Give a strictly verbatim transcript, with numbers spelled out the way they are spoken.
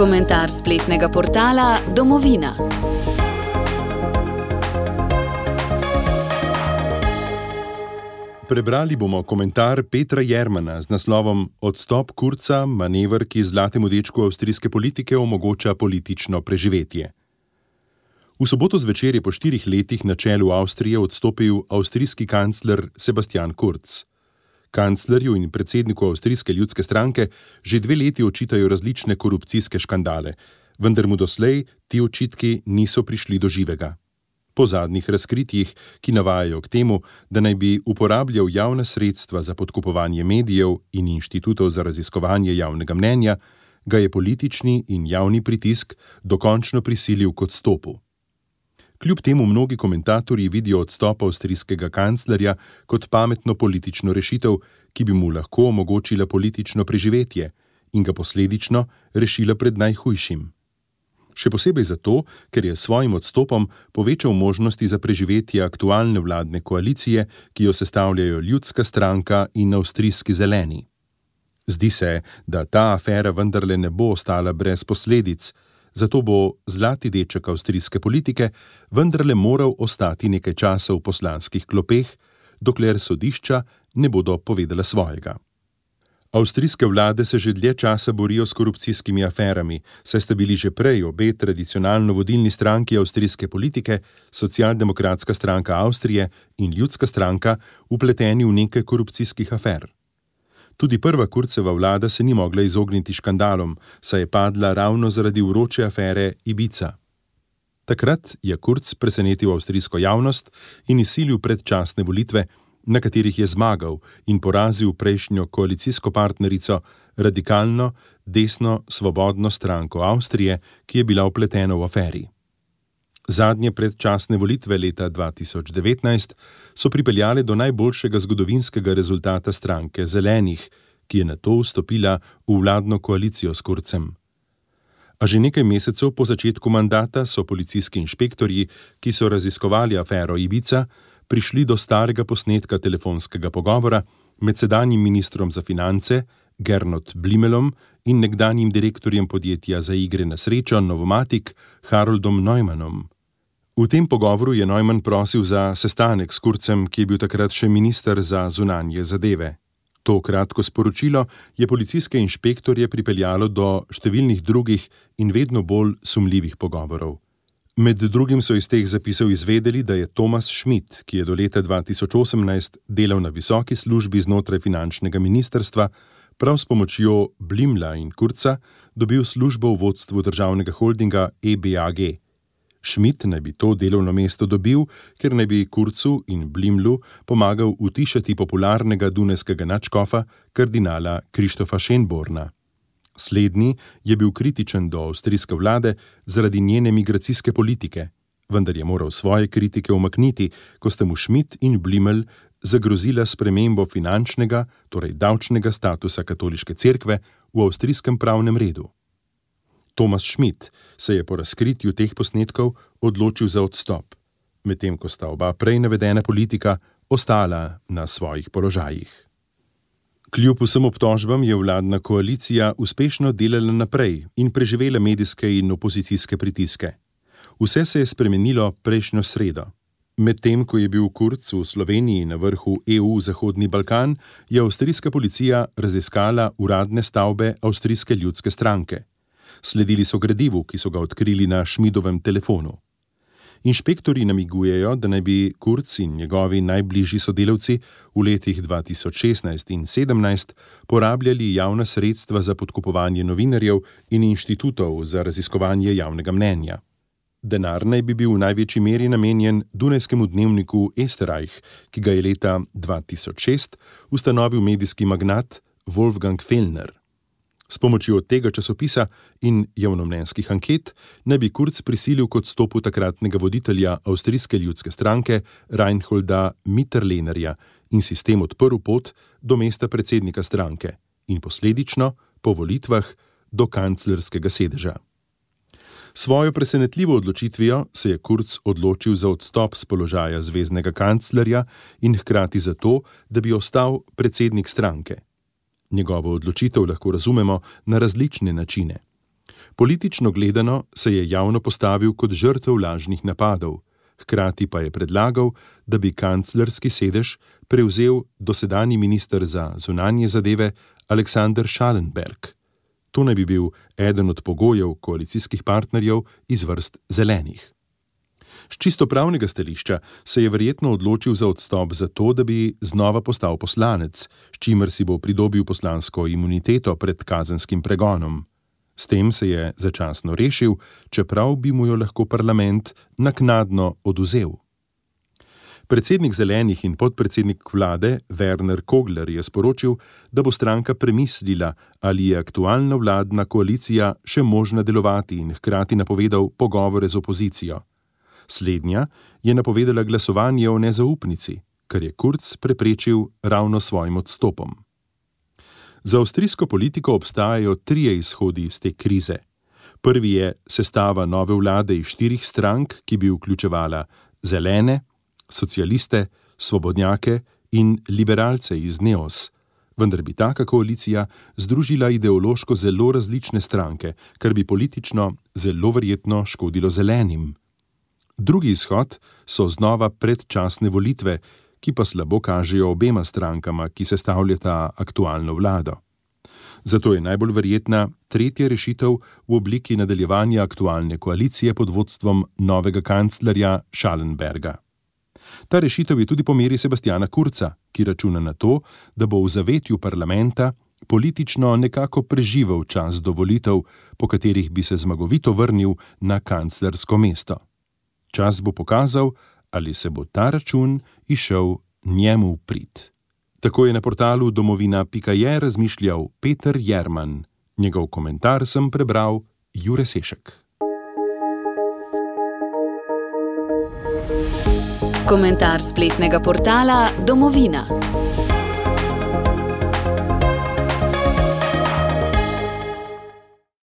Komentar spletnega portala Domovina. Prebrali bomo komentar Petra Jermana z naslovom Odstop Kurza, manever, ki zlatemu dečku avstrijske politike omogoča politično preživetje. V soboto zvečer je po štirih letih na čelu Avstrije odstopil avstrijski kancler Sebastian Kurz. Kanclerju in predsedniku Avstrijske ljudske stranke že dve leti očitajo različne korupcijske škandale, vendar mu doslej ti očitki niso prišli do živega. Po zadnjih razkritjih, ki navajajo k temu, da naj bi uporabljal javna sredstva za podkupovanje medijev in inštitutov za raziskovanje javnega mnenja, ga je politični in javni pritisk dokončno prisilil k odstopu. Kljub temu mnogi komentatorji vidijo odstop avstrijskega kanclerja kot pametno politično rešitev, ki bi mu lahko omogočila politično preživetje in ga posledično rešila pred najhujšim. Še posebej zato, ker je s svojim odstopom povečal možnosti za preživetje aktualne vladne koalicije, ki jo sestavljajo Ljudska stranka in Avstrijski zeleni. Zdi se, da ta afera vendarle ne bo ostala brez posledic, zato bo zlati deček avstrijske politike vendarle moral ostati nekaj časa v poslanskih klopeh, dokler sodišča ne bodo povedala svojega. Avstrijske vlade se že dlje časa borijo s korupcijskimi aferami, saj sta bili že prej obe tradicionalno vodilni stranki avstrijske politike, Socialdemokratska stranka Avstrije in Ljudska stranka, vpleteni v nekaj korupcijskih afer. Tudi prva Kurzeva vlada se ni mogla izogniti škandalom, saj je padla ravno zaradi vroče afere Ibiza. Takrat je Kurz presenetil avstrijsko javnost in izsilil predčasne volitve, na katerih je zmagal in porazil prejšnjo koalicijsko partnerico, radikalno, desno, svobodno stranko Avstrije, ki je bila vpletena v aferi. Zadnje predčasne volitve leta dva tisoč devetnajst so pripeljale do najboljšega zgodovinskega rezultata stranke Zelenih, ki je nato vstopila v vladno koalicijo s Kurzem. A že nekaj mesecev po začetku mandata so policijski inšpektorji, ki so raziskovali afero Ibiza, prišli do starega posnetka telefonskega pogovora med sedanjim ministrom za finance Gernot Blimelom in nekdanjim direktorjem podjetja za igre na srečo Novomatic Haroldom Neumannom. V tem pogovoru je Neumann prosil za sestanek s Kurzem, ki je bil takrat še minister za zunanje zadeve. To kratko sporočilo je policijske inšpektorje pripeljalo do številnih drugih in vedno bolj sumljivih pogovorov. Med drugim so iz teh zapisov izvedeli, da je Thomas Schmidt, ki je do leta dva tisoč osemnajst delal na visoki službi znotraj finančnega ministrstva, prav s pomočjo Blimla in Kurza dobil službo v vodstvu državnega holdinga E B A G. Schmidt naj bi to delovno mesto dobil, ker naj bi Kurzu in Blimlu pomagal utišati popularnega dunajskega nadškofa, kardinala Krištofa Schönborna. Slednji je bil kritičen do avstrijske vlade zaradi njene migracijske politike, vendar je moral svoje kritike umakniti, ko sta mu Schmidt in Blimel zagrozila spremembo finančnega, torej davčnega statusa katoliške cerkve v avstrijskem pravnem redu. Thomas Schmidt se je po razkritju teh posnetkov odločil za odstop, medtem ko sta oba prej navedena politika ostala na svojih položajih. Kljub vsem obtožbam je vladna koalicija uspešno delala naprej in preživela medijske in opozicijske pritiske. Vse se je spremenilo prejšnjo sredo. Medtem ko je bil Kurz v Sloveniji na vrhu E U Zahodni Balkan, je avstrijska policija raziskala uradne stavbe Avstrijske ljudske stranke. Sledili so gradivu, ki so ga odkrili na Schmidtovem telefonu. Inšpektorji namigujejo, da naj bi Kurz in njegovi najbližji sodelavci v letih dva tisoč šestnajst in sedemnajst porabljali javna sredstva za podkupovanje novinarjev in inštitutov za raziskovanje javnega mnenja. Denar naj bi bil v največji meri namenjen dunajskemu dnevniku Österreich, ki ga je leta dva tisoč šest ustanovil medijski magnat Wolfgang Fellner. S pomočjo tega časopisa in javnomnenjskih anket naj bi Kurz prisilil k odstopu takratnega voditelja Avstrijske ljudske stranke Reinholda Mitterlehnerja in si s tem odprl pot do mesta predsednika stranke in posledično, po volitvah, do kanclerskega sedeža. Svojo presenetljivo odločitvijo se je Kurz odločil za odstop z položaja zveznega kanclerja in hkrati za to, da bi ostal predsednik stranke. Njegovo odločitev lahko razumemo na različne načine. Politično gledano se je javno postavil kot žrtev lažnih napadov, hkrati pa je predlagal, da bi kanclerski sedež prevzel dosedanji minister za zunanje zadeve Alexander Schallenberg. To naj bi bil eden od pogojev koalicijskih partnerjev iz vrst zelenih. S čisto pravnega stališča se je verjetno odločil za odstop zato, da bi znova postal poslanec, s čimer si bo pridobil poslansko imuniteto pred kazenskim pregonom. S tem se je začasno rešil, čeprav bi mu jo lahko parlament naknadno odvzel. Predsednik zelenih in podpredsednik vlade Werner Kogler je sporočil, da bo stranka premislila, ali je aktualna vladna koalicija še možna delovati, in hkrati napovedal pogovore z opozicijo. Slednja je napovedala glasovanje o nezaupnici, kar je Kurz preprečil ravno svojim odstopom. Za avstrijsko politiko obstajajo trije izhodi iz te krize. Prvi je sestava nove vlade iz štirih strank, ki bi vključevala zelene, socialiste, svobodnjake in liberalce iz Neos, vendar bi taka koalicija združila ideološko zelo različne stranke, kar bi politično zelo verjetno škodilo zelenim. Drugi izhod so znova predčasne volitve, ki pa slabo kažejo obema strankama, ki sestavljata aktualno vlado. Zato je najbolj verjetna tretja rešitev v obliki nadaljevanja aktualne koalicije pod vodstvom novega kanclerja Schallenberga. Ta rešitev je tudi po meri Sebastiana Kurza, ki računa na to, da bo v zavetju parlamenta politično nekako preživel čas do volitev, po katerih bi se zmagovito vrnil na kanclersko mesto. Čas bo pokazal, ali se bo ta račun izšel njemu v prid. Tako je na portalu domovina pika je razmišljal Peter Jerman. Njegov komentar sem prebral Jure Sešek. Komentar spletnega portala Domovina.